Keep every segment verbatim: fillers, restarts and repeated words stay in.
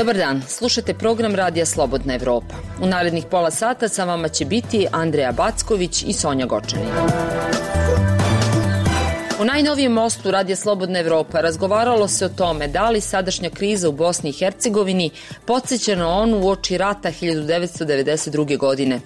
Dobar dan, slušate program Radija Slobodna Evropa. U narednih pola sata sa vama će biti Andreja Backović i Sonja Gočanin. U najnovijem mostu Radija Slobodna Evropa razgovaralo se o tome da li sadašnja kriza u Bosni i Hercegovini podsjeća na onu uoči rata hiljadu devetsto devedeset druge. godine.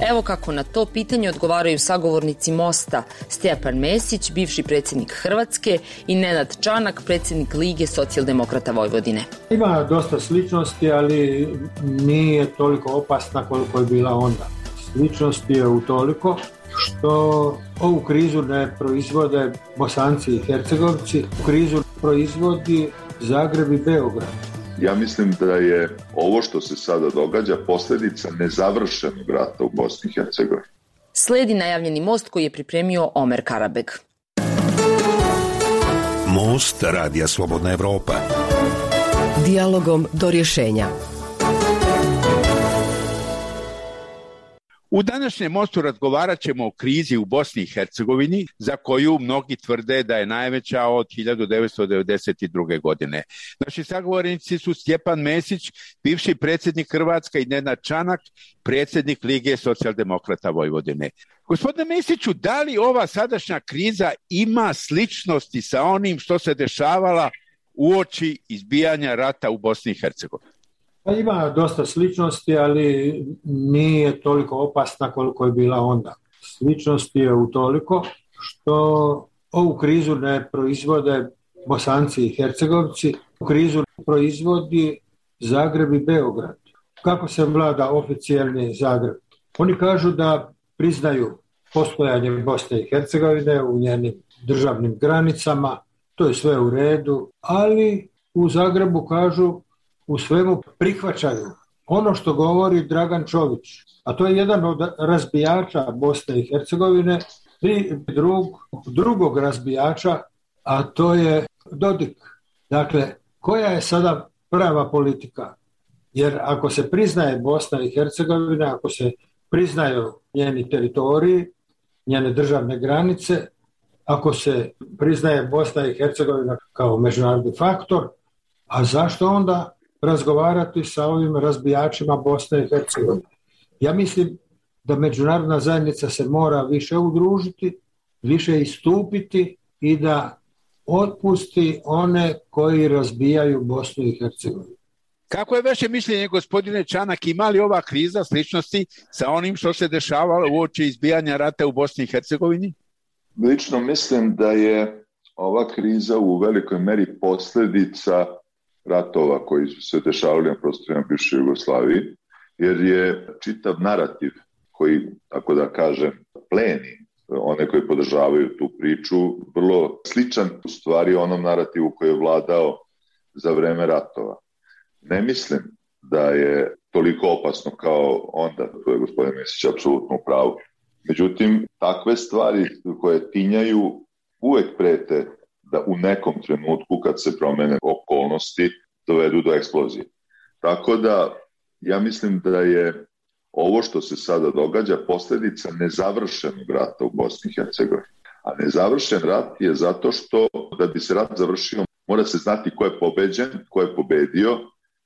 Evo kako na to pitanje odgovaraju sagovornici Mosta Stjepan Mesić, bivši predsjednik Hrvatske, i Nenad Čanak, predsjednik Lige socijaldemokrata Vojvodine. Ima dosta sličnosti, ali nije toliko opasna koliko je bila onda. Sličnosti je utoliko što ovu krizu ne proizvode Bosanci i Hercegovci, krizu proizvodi Zagreb i Beograd. Ja mislim da je ovo što se sada događa posljedica nezavršenog rata u Bosni i Hercegovini. Sledi najavljeni most koji je pripremio Omer Karabeg. Most Radija Slobodna Evropa. Dijalogom do rješenja. U današnjem mostu razgovarat ćemo o krizi u Bosni i Hercegovini, za koju mnogi tvrde da je najveća od hiljadu devetsto devedeset druge. godine. Naši sagovornici su Stjepan Mesić, bivši predsjednik Hrvatske, i Nenad Čanak, predsjednik Lige socijaldemokrata Vojvodine. Gospodine Mesiću, da li ova sadašnja kriza ima sličnosti sa onim što se dešavala uoči izbijanja rata u Bosni i Hercegovini? Pa ima dosta sličnosti, ali nije toliko opasna koliko je bila onda. Sličnosti je utoliko što ovu krizu ne proizvode Bosanci i Hercegovci, krizu proizvodi Zagreb i Beograd. Kako se vlada oficijelni Zagreb? Oni kažu da priznaju postojanje Bosne i Hercegovine u njenim državnim granicama, to je sve u redu, ali u Zagrebu kažu u svemu prihvaćaju ono što govori Dragan Čović, a to je jedan od razbijača Bosne i Hercegovine, i drug, drugog razbijača, a to je Dodik. Dakle, koja je sada prava politika? Jer ako se priznaje Bosna i Hercegovina, ako se priznaju njeni teritoriji, njene državne granice, ako se priznaje Bosna i Hercegovina kao međunarodni faktor, a zašto onda razgovarati sa ovim razbijačima Bosne i Hercegovine? Ja mislim da međunarodna zajednica se mora više udružiti, više istupiti i da otpusti one koji razbijaju Bosnu i Hercegovinu. Kako je vaše mišljenje, gospodine Čanak, ima li ova kriza sličnosti sa onim što se dešavalo uoči izbijanja rata u Bosni i Hercegovini? Lično mislim da je ova kriza u velikoj meri posljedica ratova koji su se dešavali na prostorima bivše Jugoslavije, jer je čitav narativ koji, tako da kažem, pleni one koji podržavaju tu priču, vrlo sličan u stvari onom narativu koji je vladao za vreme ratova. Ne mislim da je toliko opasno kao onda, to je gospodin Mesić apsolutno u pravu. Međutim, takve stvari koje tinjaju uvek prete da u nekom trenutku kad se promene okolnosti dovedu do eksplozije. Tako da ja mislim da je ovo što se sada događa posljedica nezavršenog rata u Bosni i Hercegovini. A nezavršen rat je zato što da bi se rat završio mora se znati ko je pobeđen, ko je pobedio,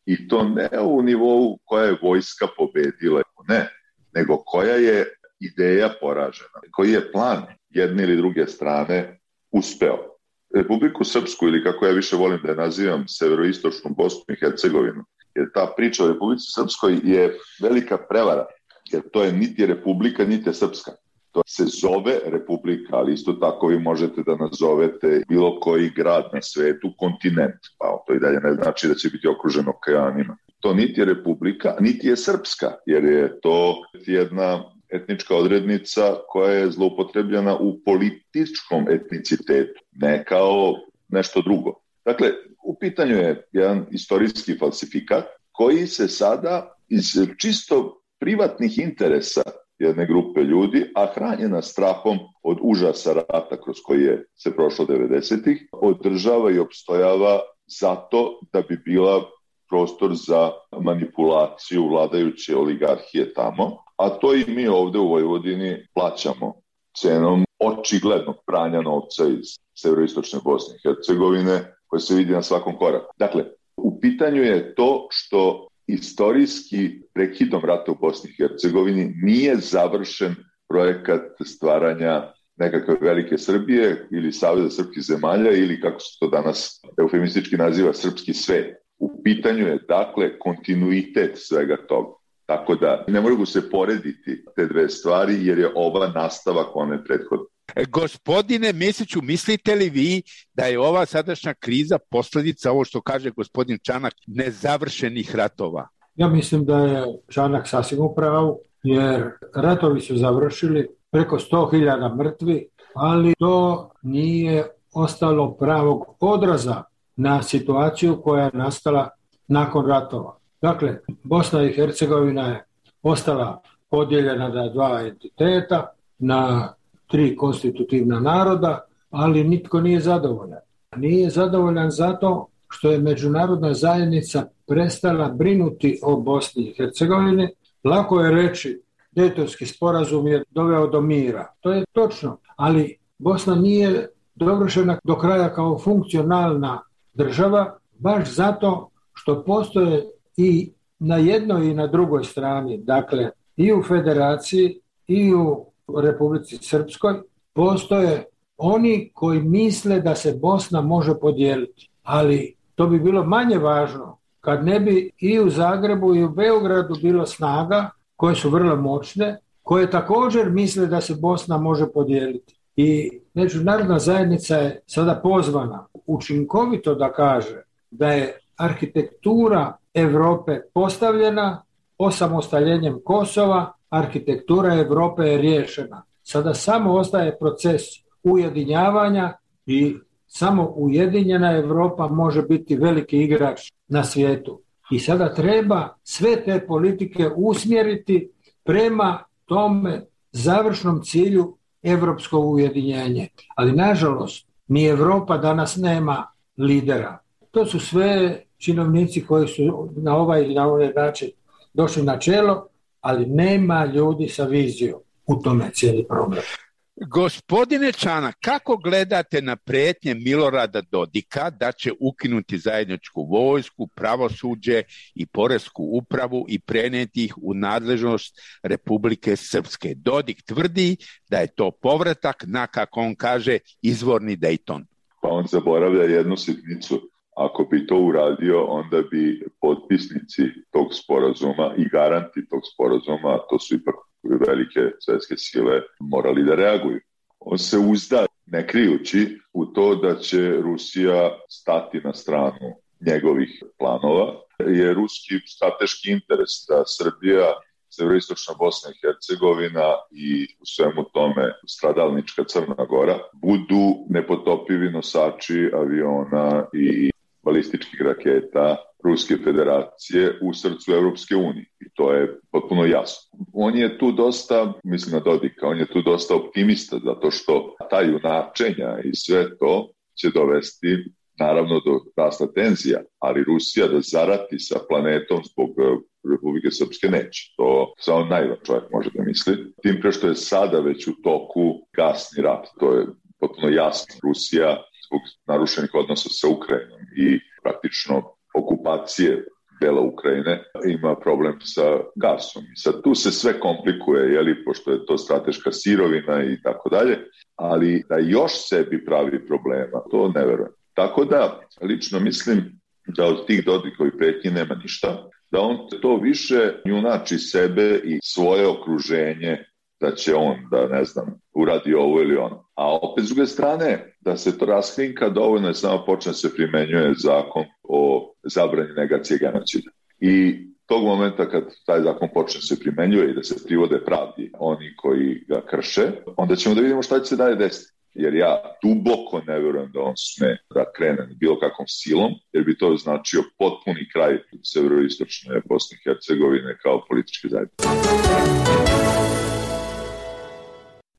i to ne u nivou koja je vojska pobedila, ne, nego koja je ideja poražena, koji je plan jedne ili druge strane uspeo. Republiku Srpsku, ili kako ja više volim da je nazivam, severoistočnu Bosnu i Hercegovinu, jer ta priča o Republici Srpskoj je velika prevara, jer to je niti Republika, niti Srpska. To se zove Republika, ali isto tako vi možete da nazovete bilo koji grad na svetu kontinent, pa to i dalje ne znači da će biti okruženo okeanima. To niti je Republika, niti je Srpska, jer je to jedna etnička odrednica koja je zloupotrebljena u političkom etnicitetu, ne kao nešto drugo. Dakle, u pitanju je jedan istorijski falsifikat koji se sada iz čisto privatnih interesa jedne grupe ljudi, a hranjena strahom od užasa rata kroz koji je se prošlo devedesetih, održava i opstojava zato da bi bila prostor za manipulaciju vladajuće oligarhije tamo, a to i mi ovde u Vojvodini plaćamo cenom očiglednog pranja novca iz severoistočne Bosne i Hercegovine, koje se vidi na svakom koraku. Dakle, U pitanju je to što istorijski prekidom rata u Bosni i Hercegovini nije završen projekat stvaranja nekakve velike Srbije ili Saveza srpskih zemalja ili kako se to danas eufemistički naziva srpski svet. U pitanju je dakle kontinuitet svega toga. Tako da ne mogu se porediti te dve stvari jer je ova nastavak one prethodne. Gospodine Mesiću, mislite li vi da je ova sadašnja kriza posljedica, ovo što kaže gospodin Čanak, nezavršenih ratova? Ja mislim da je Čanak sasvim u pravu, jer ratovi su završili, preko sto hiljada mrtvi, ali to nije ostalo pravog odraza na situaciju koja je nastala nakon ratova. Dakle, Bosna i Hercegovina je ostala podijeljena na dva entiteta, na tri konstitutivna naroda, ali nitko nije zadovoljan. Nije zadovoljan zato što je međunarodna zajednica prestala brinuti o Bosni i Hercegovini. Lako je reći, Dejtonski sporazum je doveo do mira. To je točno, ali Bosna nije dovršena do kraja kao funkcionalna država, baš zato što postoje i na jednoj i na drugoj strani, dakle i u Federaciji i u Republici Srpskoj, postoje oni koji misle da se Bosna može podijeliti. Ali to bi bilo manje važno kad ne bi i u Zagrebu i u Beogradu bilo snaga koje su vrlo moćne, koje također misle da se Bosna može podijeliti. I međunarodna zajednica je sada pozvana učinkovito da kaže da je arhitektura Europe postavljena, osamostaljenjem Kosova, arhitektura Europe je riješena. Sada samo ostaje proces ujedinjavanja i samo ujedinjena Europa može biti veliki igrač na svijetu. I sada treba sve te politike usmjeriti prema tome završnom cilju europsko ujedinjenje. Ali nažalost, ni Europa danas nema lidera. To su sve činovnici koji su na ovaj ili na ovaj način došli na čelo, ali nema ljudi sa vizijom. U tome cijeli problem. Gospodine Čanak, kako gledate na prijetnje Milorada Dodika da će ukinuti zajedničku vojsku, pravosuđe i poresku upravu i prenijeti ih u nadležnost Republike Srpske? Dodik tvrdi da je to povratak na, kako on kaže, izvorni Dejton. Pa on zaboravlja jednu sitnicu. Ako bi to uradio, onda bi potpisnici tog sporazuma i garanti tog sporazuma, to su ipak velike svjetske sile, morali da reaguju. On se uzda, ne krijući, u to da će Rusija stati na stranu njegovih planova, je ruski strateški interes da Srbija, severoistočna Bosna i Hercegovina i u svemu tome stradalnička Crna Gora budu nepotopivi nosači aviona i balističkih raketa Ruske federacije u srcu Europske unije. I to je potpuno jasno. On je tu dosta, mislim na Dodika, on je tu dosta optimista, zato što ta junačenja i sve to će dovesti naravno do rasta tenzija, ali Rusija da zarati sa planetom zbog Republike Srpske neće. To samo najvan čovjek može da misli. Tim pre što je sada već u toku gasni rat. To je potpuno jasno. Rusija zbog narušenih odnosa sa Ukrajinom i praktično okupacije dela Ukrajine ima problem sa gasom. I sad tu se sve komplikuje, jeli, pošto je to strateška sirovina i tako dalje, ali da još sebi pravi problema, to ne verujem. Tako da, lično mislim da od tih Dodikovih pretnji nema ništa, da on to više junači sebe i svoje okruženje, da će on, da ne znam, uradi ovo ili ono. A opet s druge strane, da se to raskrinka, dovoljno je samo počne se primenjuje zakon o zabrani negacije genocida. I tog momenta kad taj zakon počne se primenjuje i da se privode pravdi oni koji ga krše, onda ćemo da vidimo šta će se dalje desiti. Jer ja duboko ne vjerujem da on sme da krene bilo kakvom silom, jer bi to značio potpuni kraj severoistočne Bosne i Hercegovine kao političke zajednice.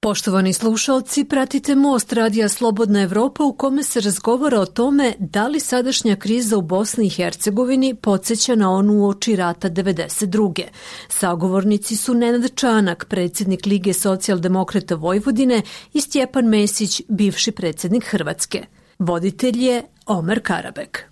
Poštovani slušalci, pratite Most radija Slobodna Evropa u kome se razgovara o tome da li sadašnja kriza u Bosni i Hercegovini podsjeća na onu uoči rata devedeset druge. Sagovornici su Nenad Čanak, predsjednik Lige socijaldemokrata Vojvodine, i Stjepan Mesić, bivši predsjednik Hrvatske. Voditelj je Omer Karabek.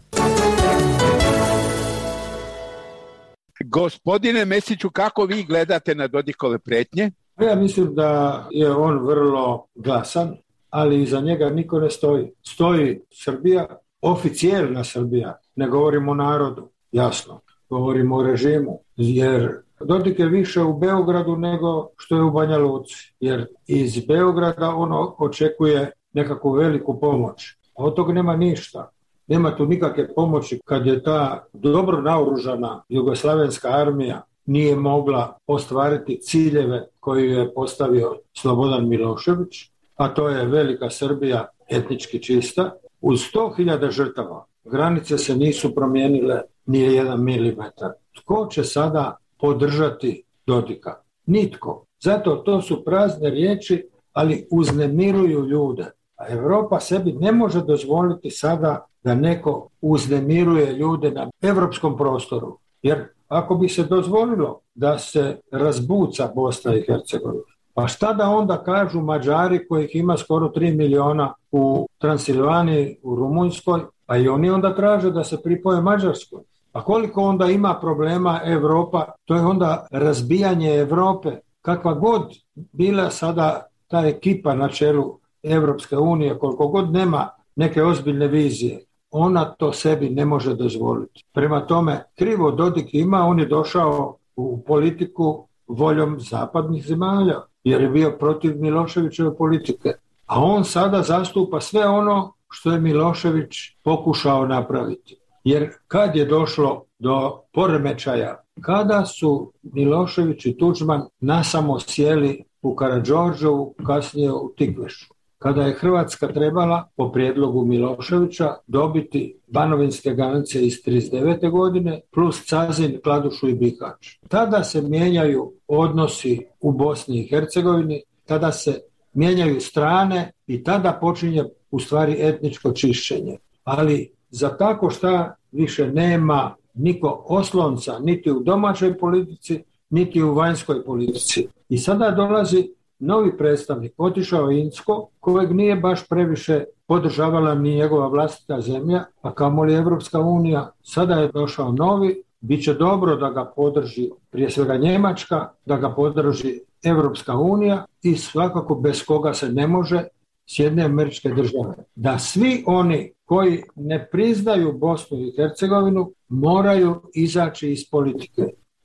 Gospodine Mesiću, kako vi gledate na Dodikove pretnje? Ja mislim da je on vrlo glasan, ali iza njega niko ne stoji. Stoji Srbija, oficijelna Srbija, ne govorimo o narodu, jasno, govorimo o režimu, jer Dodik je više u Beogradu nego što je u Banja Luci, jer iz Beograda ono očekuje nekakvu veliku pomoć. A od toga nema ništa. Nema tu nikakve pomoći kad je ta dobro naoružana jugoslavenska armija nije mogla ostvariti ciljeve koje je postavio Slobodan Milošević, a to je velika Srbija etnički čista. Uz sto hiljada žrtava granice se nisu promijenile ni jedan milimetar. Tko će sada podržati Dodika? Nitko. Zato to su prazne riječi, ali uznemiruju ljude. A Europa sebi ne može dozvoliti sada da neko uznemiruje ljude na evropskom prostoru. Jer ako bi se dozvolilo da se razbuca Bosna i Hercegovina, pa šta da onda kažu Mađari kojih ima skoro tri miliona u Transilvaniji, u Rumunjskoj, pa i oni onda traže da se pripoje Mađarskoj. A koliko onda ima problema Evropa, to je onda razbijanje Evrope. Kakva god bila sada ta ekipa na čelu Evropske unije, koliko god nema neke ozbiljne vizije, ona to sebi ne može dozvoliti. Prema tome, krivo Dodik ima, on je došao u politiku voljom zapadnih zemalja, jer je bio protiv Miloševićeve politike. A on sada zastupa sve ono što je Milošević pokušao napraviti. Jer kad je došlo do poremećaja, kada su Milošević i Tuđman nasamo sjeli u Karađorđevu, kasnije u Tikvešu, kada je Hrvatska trebala, po prijedlogu Miloševića, dobiti banovinske granice iz trideset devete godine plus Cazin, Kladušu i Bihać. Tada se mijenjaju odnosi u Bosni i Hercegovini, tada se mijenjaju strane i tada počinje u stvari etničko čišćenje. Ali za tako šta više nema niko oslonca niti u domaćoj politici, niti u vanjskoj politici. I sada dolazi novi predstavnik, otišao Incko, kojeg nije baš previše podržavala ni njegova vlastita zemlja, a kamoli Evropska unija. Sada je došao novi, bit će dobro da ga podrži prije svega Njemačka, da ga podrži Evropska unija i svakako bez koga se ne može, Sjedinjene Američke Države. Da svi oni koji ne priznaju Bosnu i Hercegovinu moraju izaći iz politike.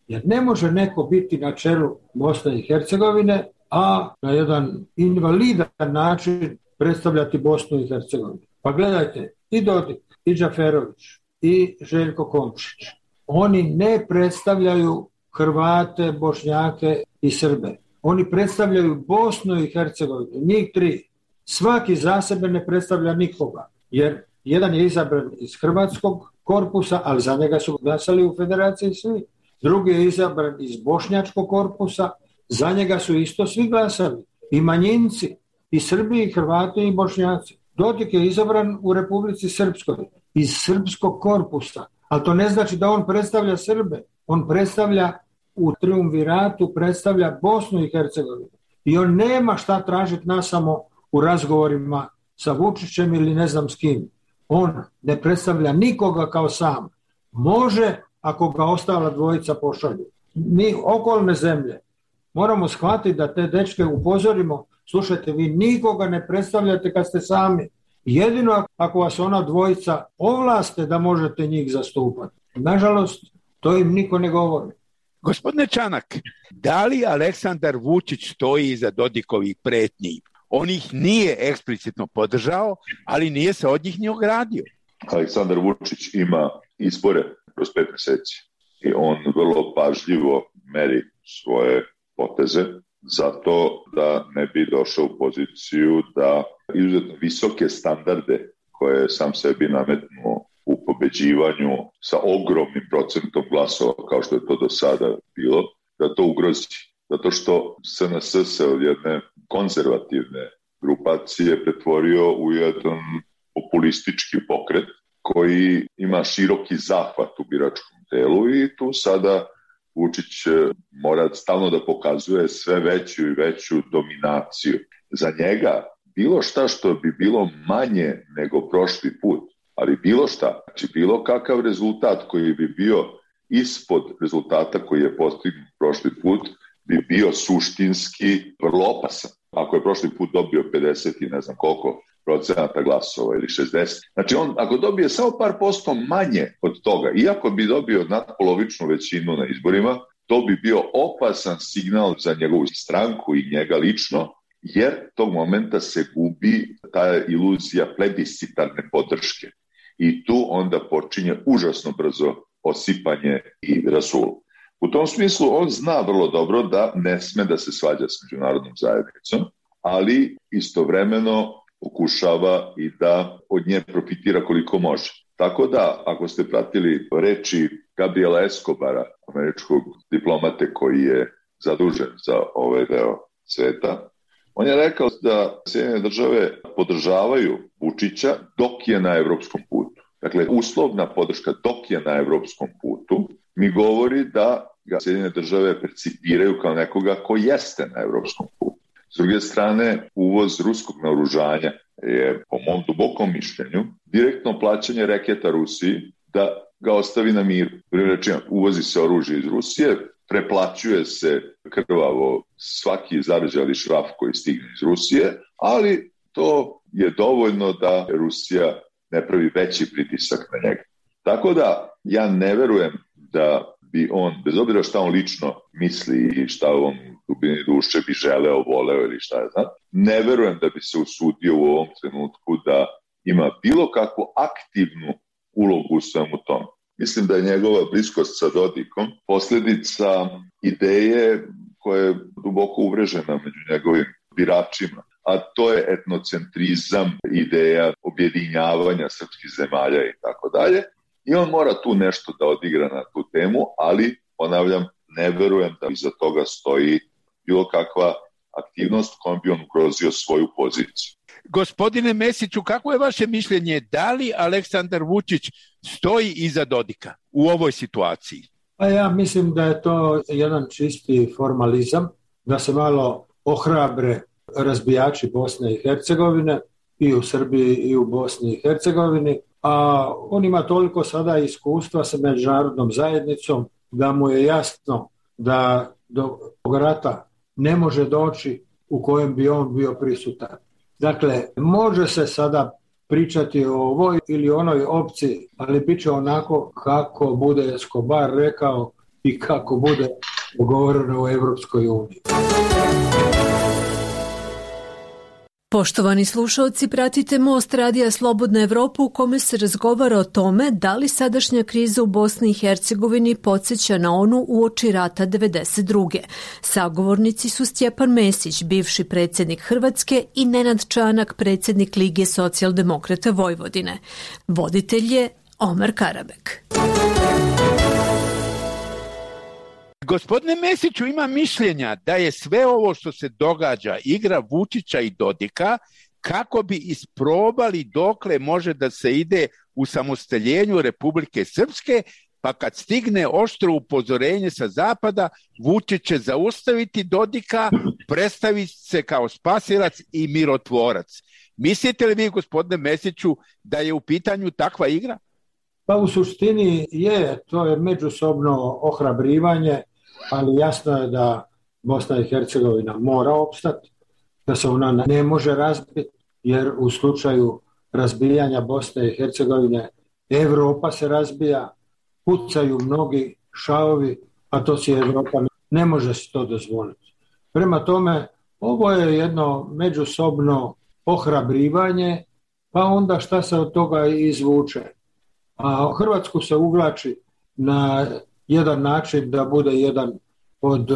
Jer ne može neko biti na čelu Bosne i Hercegovine, a na jedan invalidan način predstavljati Bosnu i Hercegovinu. Pa gledajte, i Dodik, i Džaferović, i Željko Komšić, oni ne predstavljaju Hrvate, Bošnjake i Srbe. Oni predstavljaju Bosnu i Hercegovinu, njih tri. Svaki za sebe ne predstavlja nikoga, jer jedan je izabran iz hrvatskog korpusa, ali za njega su glasali u federaciji svi. Drugi je izabran iz bošnjačkog korpusa, za njega su isto svi glasali. I manjinci, i Srbi, i Hrvati, i Bošnjaci. Dodik je izabran u Republici Srpskoj, iz srpskog korpusa. Ali to ne znači da on predstavlja Srbe. On predstavlja u triumviratu, predstavlja Bosnu i Hercegovinu. I on nema šta tražiti nas samo u razgovorima sa Vučićem ili ne znam s kim. On ne predstavlja nikoga kao sam. Može ako ga ostala dvojica pošalju. Mi okolne zemlje moramo shvatiti da te dečke upozorimo, slušajte, vi nikoga ne predstavljate kad ste sami. Jedino ako vas ona dvojica ovlaste da možete njih zastupati. Nažalost, to im niko ne govori. Gospodine Čanak, da li Aleksandar Vučić stoji iza Dodikovih pretnji? On ih nije eksplicitno podržao, ali nije se od njih ni ogradio. Aleksandar Vučić ima izbore kroz pet mjeseci i on vrlo pažljivo meri svoje poteze zato da ne bi došao u poziciju da izuzetno visoke standarde koje je sam sebi nametnuo u pobeđivanju sa ogromnim procentom glasova kao što je to do sada bilo, da to ugrozi. Zato što S N S se od jedne konzervativne grupacije pretvorio u jedan populistički pokret koji ima široki zahvat u biračkom telu i tu sada Vučić mora stalno da pokazuje sve veću i veću dominaciju. Za njega bilo šta što bi bilo manje nego prošli put, ali bilo šta, znači bilo kakav rezultat koji bi bio ispod rezultata koji je postignut prošli put bi bio suštinski vrlo opasan. Ako je prošli put dobio pedeset i ne znam koliko procenata glasova ili šezdeset. Znači on ako dobije samo par posto manje od toga, iako bi dobio nadpolovičnu većinu na izborima, to bi bio opasan signal za njegovu stranku i njega lično, jer tog momenta se gubi ta iluzija plebiscitarne podrške. I tu onda počinje užasno brzo osipanje i rasul. U tom smislu on zna vrlo dobro da ne sme da se svađa s međunarodnom zajednicom, ali istovremeno pokušava i da od nje profitira koliko može. Tako da, ako ste pratili reči Gabriela Escobara, američkog diplomate koji je zadužen za ovaj deo sveta, on je rekao da Sjedinjene države podržavaju Vučića dok je na evropskom putu. Dakle, uslovna podrška dok je na evropskom putu mi govori da ga Sjedinjene države percipiraju kao nekoga ko jeste na evropskom putu. S druge strane, uvoz ruskog naoružanja je, po mom dubokom mišljenju, direktno plaćanje reketa Rusiji da ga ostavi na miru. Rečima, uvozi se oružje iz Rusije, preplaćuje se krvavo svaki zarađali šraf koji stigne iz Rusije, ali to je dovoljno da Rusija ne pravi veći pritisak na njega. Tako da ja ne verujem da bi on, bez obzira šta on lično misli i šta on dubini duše bi želeo, voleo ili šta je znam, ne verujem da bi se usudio u ovom trenutku da ima bilo kakvu aktivnu ulogu u svemu tom. Mislim da je njegova bliskost sa Dodikom posljedica ideje koja je duboko uvrežena među njegovim biračima, a to je etnocentrizam, ideja objedinjavanja srpskih zemalja i tako dalje. I on mora tu nešto da odigra na tu temu, ali, ponavljam, ne verujem da iza toga stoji bilo kakva aktivnost kojom bi on ugrozio svoju poziciju. Gospodine Mesiću, kako je vaše mišljenje, da li Aleksandar Vučić stoji iza Dodika u ovoj situaciji? Pa ja mislim da je to jedan čisti formalizam, da se malo ohrabre razbijači Bosne i Hercegovine i u Srbiji i u Bosni i Hercegovini, a on ima toliko sada iskustva sa međunarodnom zajednicom da mu je jasno da do rata ne može doći u kojem bi on bio prisutan. Dakle, može se sada pričati o ovoj ili onoj opciji, ali bit će onako kako bude Escobar rekao i kako bude dogovoreno u Evropskoj uniji. Poštovani slušalci, pratite Most radija Slobodna Evropa u kome se razgovara o tome da li sadašnja kriza u Bosni i Hercegovini podsjeća na onu uoči rata devedeset druge. Sagovornici su Stjepan Mesić, bivši predsjednik Hrvatske, i Nenad Čanak, predsjednik Lige socijaldemokrata Vojvodine. Voditelj je Omer Karabek. Gospodine Mesiću, ima mišljenja da je sve ovo što se događa igra Vučića i Dodika kako bi isprobali dokle može da se ide u samostaljenju Republike Srpske, pa kad stigne oštro upozorenje sa zapada, Vučić će zaustaviti Dodika, predstaviti se kao spasilac i mirotvorac. Mislite li vi, gospodine Mesiću, da je u pitanju takva igra? Pa u suštini je, to je međusobno ohrabrivanje, ali jasno je da Bosna i Hercegovina mora opstati, da se ona ne može razbiti, jer u slučaju razbijanja Bosne i Hercegovine Evropa se razbija, pucaju mnogi šaovi, a to si Evropa ne može se to dozvoliti. Prema tome, ovo je jedno međusobno ohrabrivanje, pa onda šta se od toga izvuče. A Hrvatsku se uvlači na jedan način da bude jedan od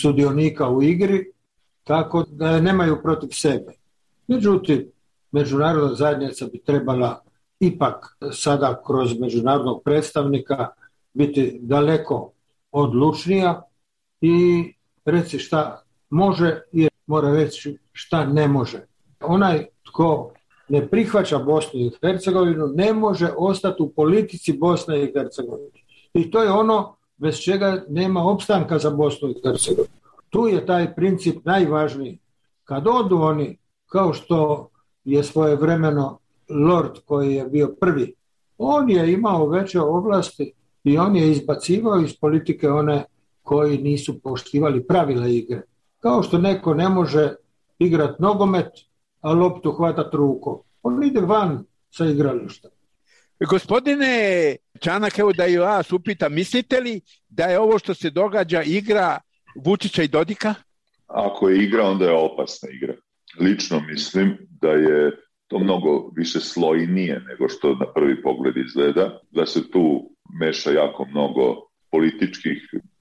sudionika u igri, tako da je nemaju protiv sebe. Međutim, međunarodna zajednica bi trebala ipak sada kroz međunarodnog predstavnika biti daleko odlučnija i reći šta može i mora reći šta ne može. Onaj tko ne prihvaća Bosnu i Hercegovinu ne može ostati u politici Bosne i Hercegovine. I to je ono bez čega nema opstanka za Bosnu i Hercegovinu. Tu je taj princip najvažniji. Kad odu oni, kao što je svojevremeno Lord koji je bio prvi, on je imao veće ovlasti i on je izbacivao iz politike one koji nisu poštivali pravila igre. Kao što neko ne može igrati nogomet, a loptu hvatati rukom. On ide van sa igrališta. Gospodine Čanak, evo da i vas upitam, mislite li da je ovo što se događa igra Vučića i Dodika? Ako je igra, onda je opasna igra. Lično mislim da je to mnogo više slojnije nego što na prvi pogled izgleda, da se tu meša jako mnogo političkih,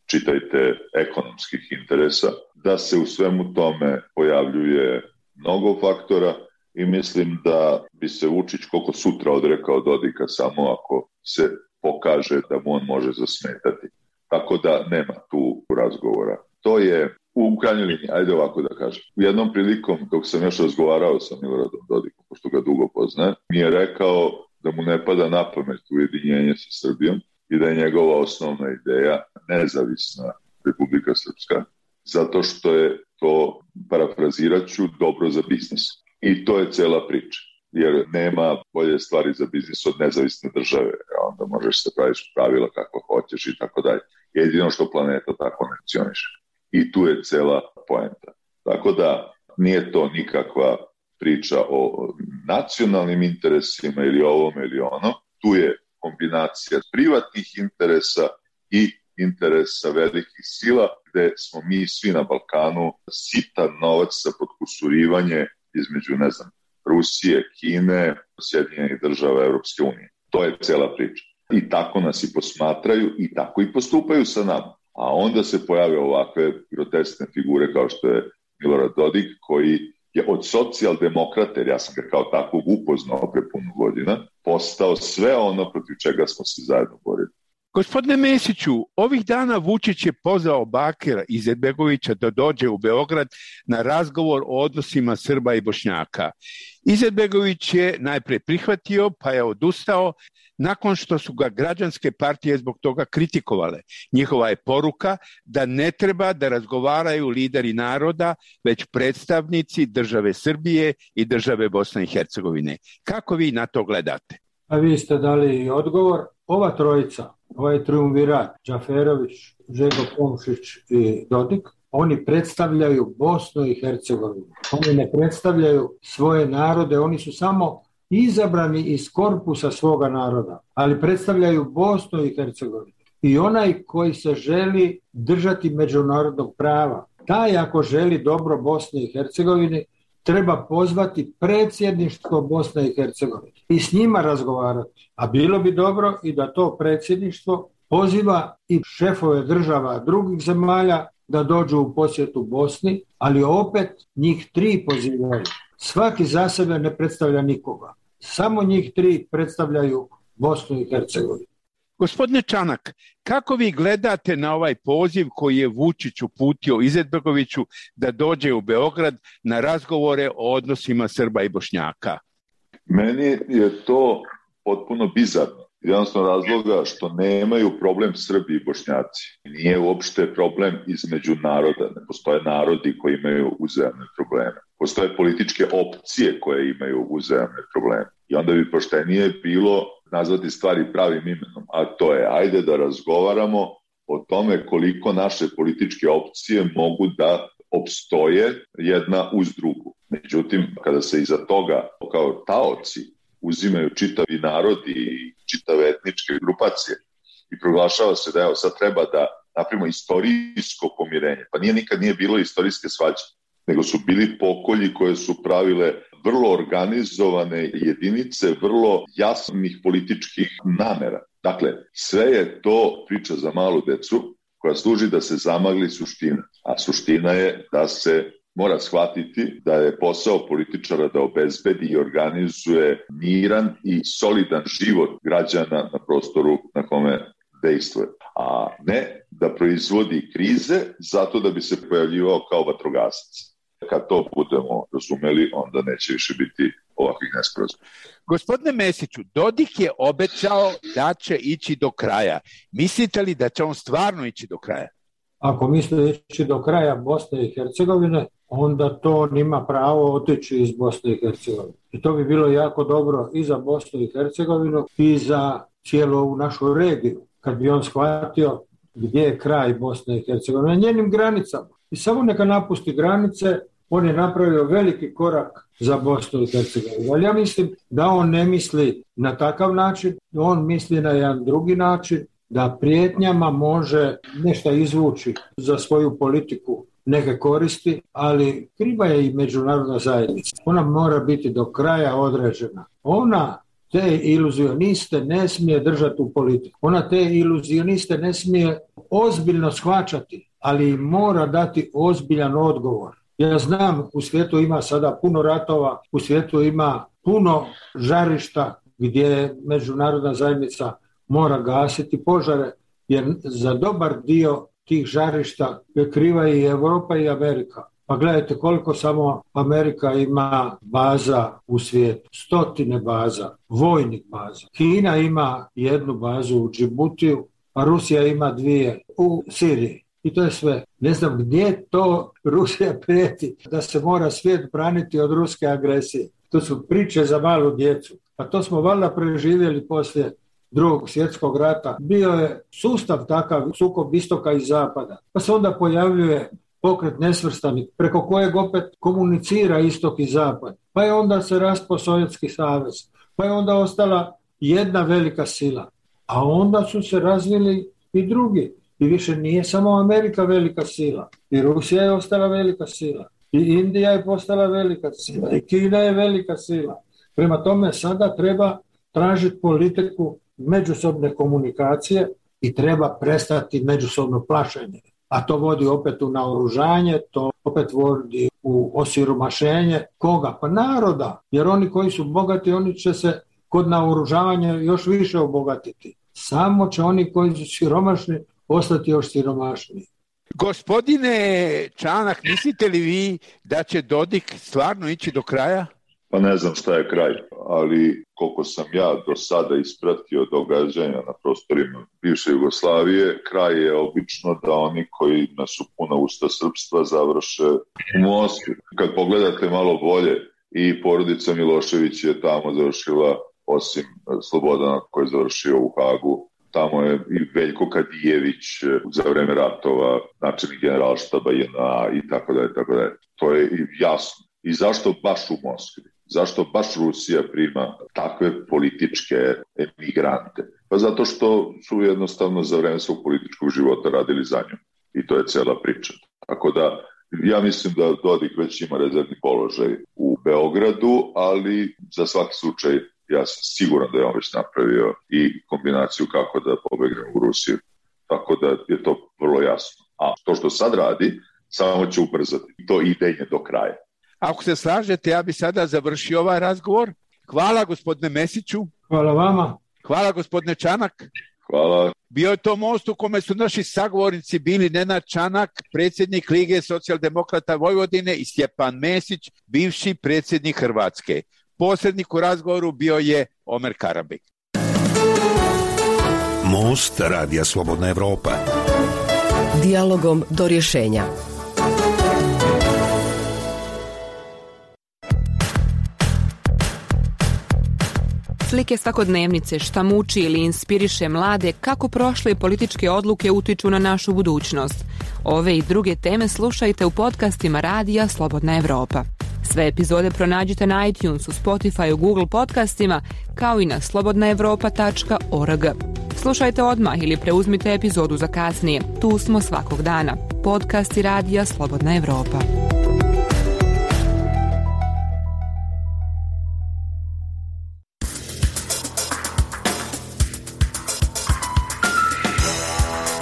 čitajte ekonomskih interesa, da se u svemu tome pojavljuje mnogo faktora i mislim da bi se Vučić koliko sutra odrekao Dodika samo ako se pokaže da mu on može zasmetati. Tako da nema tu razgovora. To je u krajnjoj liniji, ajde ovako da kažem. U jednom prilikom, dok sam još razgovarao sa Miloradom Dodikom, pošto ga dugo poznaje, mi je rekao da mu ne pada na pamet ujedinjenje sa Srbijom i da je njegova osnovna ideja nezavisna Republika Srpska, zato što je to, parafrazirat ću, dobro za biznis. I to je cela priča, jer nema bolje stvari za biznis od nezavisne države, a onda možeš se praviš pravila kako hoćeš i tako dalje. Jedino što planeta tako ne funkcioniše. I tu je cela poenta. Tako da nije to nikakva priča o nacionalnim interesima ili ovom ili ono. Tu je kombinacija privatnih interesa i interesa velikih sila, gde smo mi svi na Balkanu sitan novac za potkusurivanje između, ne znam, Rusije, Kine, Sjedinjenih država, Evropske unije. To je cela priča. I tako nas i posmatraju i tako i postupaju sa nama. A onda se pojave ovakve groteskne figure kao što je Milorad Dodik, koji je od socijaldemokrata, jer ja sam ga kao takvog upoznao pre puno godina, postao sve ono protiv čega smo se zajedno borili. Gospodine Mesiću, ovih dana Vučić je pozvao Bakira Izetbegovića da dođe u Beograd na razgovor o odnosima Srba i Bošnjaka. Izetbegović je najpre prihvatio, pa je odustao, nakon što su ga građanske partije zbog toga kritikovale. Njihova je poruka da ne treba da razgovaraju lideri naroda, već predstavnici države Srbije i države Bosne i Hercegovine. Kako vi na to gledate? A vi ste dali odgovor. Ova trojica, ovaj triumvirat, Džaferović, Željko Komšić i Dodik, oni predstavljaju Bosnu i Hercegovinu. Oni ne predstavljaju svoje narode, oni su samo izabrani iz korpusa svoga naroda, ali predstavljaju Bosnu i Hercegovinu. I onaj koji se želi držati međunarodnog prava, taj ako želi dobro Bosne i Hercegovine, treba pozvati predsjedništvo Bosne i Hercegovine i s njima razgovarati. A bilo bi dobro i da to predsjedništvo poziva i šefove država drugih zemalja da dođu u posjetu Bosni, ali opet njih tri pozivaju. Svaki za sebe ne predstavlja nikoga. Samo njih tri predstavljaju Bosnu i Hercegovinu. Gospodine Čanak, kako vi gledate na ovaj poziv koji je Vučić uputio Izetbegoviću da dođe u Beograd na razgovore o odnosima Srba i Bošnjaka? Meni je to potpuno bizarno. Jednostavno razloga što nemaju problem Srbi i Bošnjaci. Nije uopšte problem između naroda. Ne postoje narodi koji imaju uzajamne probleme. Postoje političke opcije koje imaju uzajamne probleme. I onda bi poštenije bilo nazvati stvari pravim imenom. A to je, ajde da razgovaramo o tome koliko naše političke opcije mogu da opstoje jedna uz drugu. Međutim, kada se iza toga kao taoci uzimaju čitavi narodi i čitave etničke grupacije i proglašava se da evo sad treba da napravimo istorijsko pomirenje. Pa nije nikad nije bilo istorijske svađe, nego su bili pokolji koje su pravile vrlo organizovane jedinice, vrlo jasnih političkih namera. Dakle, sve je to priča za malu decu koja služi da se zamagli suština. A suština je da se mora shvatiti da je posao političara da obezbedi i organizuje miran i solidan život građana na prostoru na kome dejstvuje. A ne da proizvodi krize zato da bi se pojavljivao kao vatrogasac. Kad to budemo razumeli, onda neće više biti ovakvih nesporazuma. Gospodine Mesiću, Dodik je obećao da će ići do kraja. Mislite li da će on stvarno ići do kraja? Ako misle ići do kraja Bosne i Hercegovine, onda to on ima pravo otići iz Bosne i Hercegovine. I to bi bilo jako dobro i za Bosnu i Hercegovinu i za cijelu ovu našu regiju. kad bi on shvatio gdje je kraj Bosne i Hercegovine, na njenim granicama. I samo neka napusti granice, on je napravio veliki korak za Bosnu i Hercegovinu. Ali ja mislim da on ne misli na takav način, on misli na jedan drugi način, da prijetnjama može nešto izvući za svoju politiku neke koristi, ali kriva je i međunarodna zajednica. Ona mora biti do kraja određena. Ona te iluzioniste ne smije držati u politiku. Ona te iluzioniste ne smije ozbiljno shvaćati, ali mora dati ozbiljan odgovor. Ja znam, u svijetu ima sada puno ratova, u svijetu ima puno žarišta gdje međunarodna zajednica mora gasiti požare, jer za dobar dio tih žarišta je kriva i Europa i Amerika. Pa gledajte koliko samo Amerika ima baza u svijetu. Stotine baza, vojnih baza. Kina ima jednu bazu u Džibutiju, a Rusija ima dvije u Siriji. I to je sve. Ne znam gdje to Rusija prijeti da se mora svijet braniti od ruske agresije. To su priče za malu djecu. Pa to smo valjda preživjeli poslije Drugog svjetskog rata. Bio je sustav takav, sukob istoka i zapada. Pa se onda pojavljuje pokret nesvrstanih, preko kojeg opet komunicira istok i zapad. Pa je onda se raspao Sovjetski savez. Pa je onda ostala jedna velika sila. A onda su se razvili i drugi. I više nije samo Amerika velika sila. I Rusija je ostala velika sila. I Indija je postala velika sila. I Kina je velika sila. Prema tome sada treba tražiti politiku međusobne komunikacije i treba prestati međusobno plašenje. A to vodi opet u naoružanje, to opet vodi u osiromašenje. Koga? Pa naroda. Jer oni koji su bogati, oni će se kod naoružavanja još više obogatiti. Samo će oni koji su siromašni ostati još siromašniji. Gospodine Čanak, mislite li vi da će Dodik stvarno ići do kraja? Pa ne znam šta je kraj, ali koliko sam ja do sada ispratio događanja na prostorima bivše Jugoslavije, kraj je obično da oni koji su puna usta srpstva završe u Moskvi. Kad pogledate malo bolje, i porodica Milošević je tamo završila, osim Slobodana koji je završio u Hagu. Tamo je i Veljko Kadijević za vreme ratova, načelnik generalštaba J N A i tako dalje, tako dalje. To je jasno. I zašto baš u Moskvi? Zašto baš Rusija prima takve političke emigrante? Pa zato što su jednostavno za vreme svog političkog života radili za nju. I to je cela priča. Tako da ja mislim da Dodik već ima rezervni položaj u Beogradu, ali za svaki slučaj ja sam siguran da je on već napravio i kombinaciju kako da pobegne u Rusiju. Tako da je to vrlo jasno. A to što sad radi, samo će ubrzati to idenje do kraja. Ako se slažete, ja bi sada završio ovaj razgovor. Hvala gospodine Mesiću. Hvala vama. Hvala gospodine Čanak. Hvala. Bio je to most u kome su naši sagovornici bili Nenad Čanak, predsjednik Lige socijaldemokrata Vojvodine, i Stjepan Mesić, bivši predsjednik Hrvatske. Posrednik u razgovoru bio je Omer Karabek. Most Radija Slobodna Evropa. Dijalogom do rješenja. Slike svakodnevnice, šta muči ili inspiriše mlade, kako prošle političke odluke utiču na našu budućnost. Ove i druge teme slušajte u podcastima Radija Slobodna Evropa. Sve epizode pronađite na iTunesu, Spotifyu, Google podcastima, kao i na slobodna evropa tačka org. Slušajte odmah ili preuzmite epizodu za kasnije. Tu smo svakog dana. Podcasti Radija Slobodna Evropa.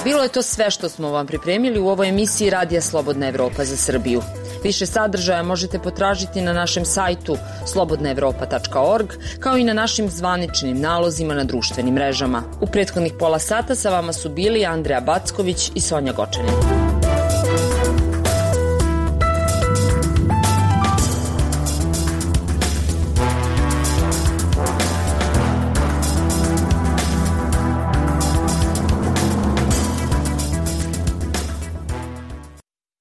Bilo je to sve što smo vam pripremili u ovoj emisiji Radija Slobodna Evropa za Srbiju. Više sadržaja možete potražiti na našem sajtu slobodna evropa tačka org, kao i na našim zvaničnim nalozima na društvenim mrežama. U prethodnih pola sata sa vama su bili Andreja Backović i Sonja Gočanin.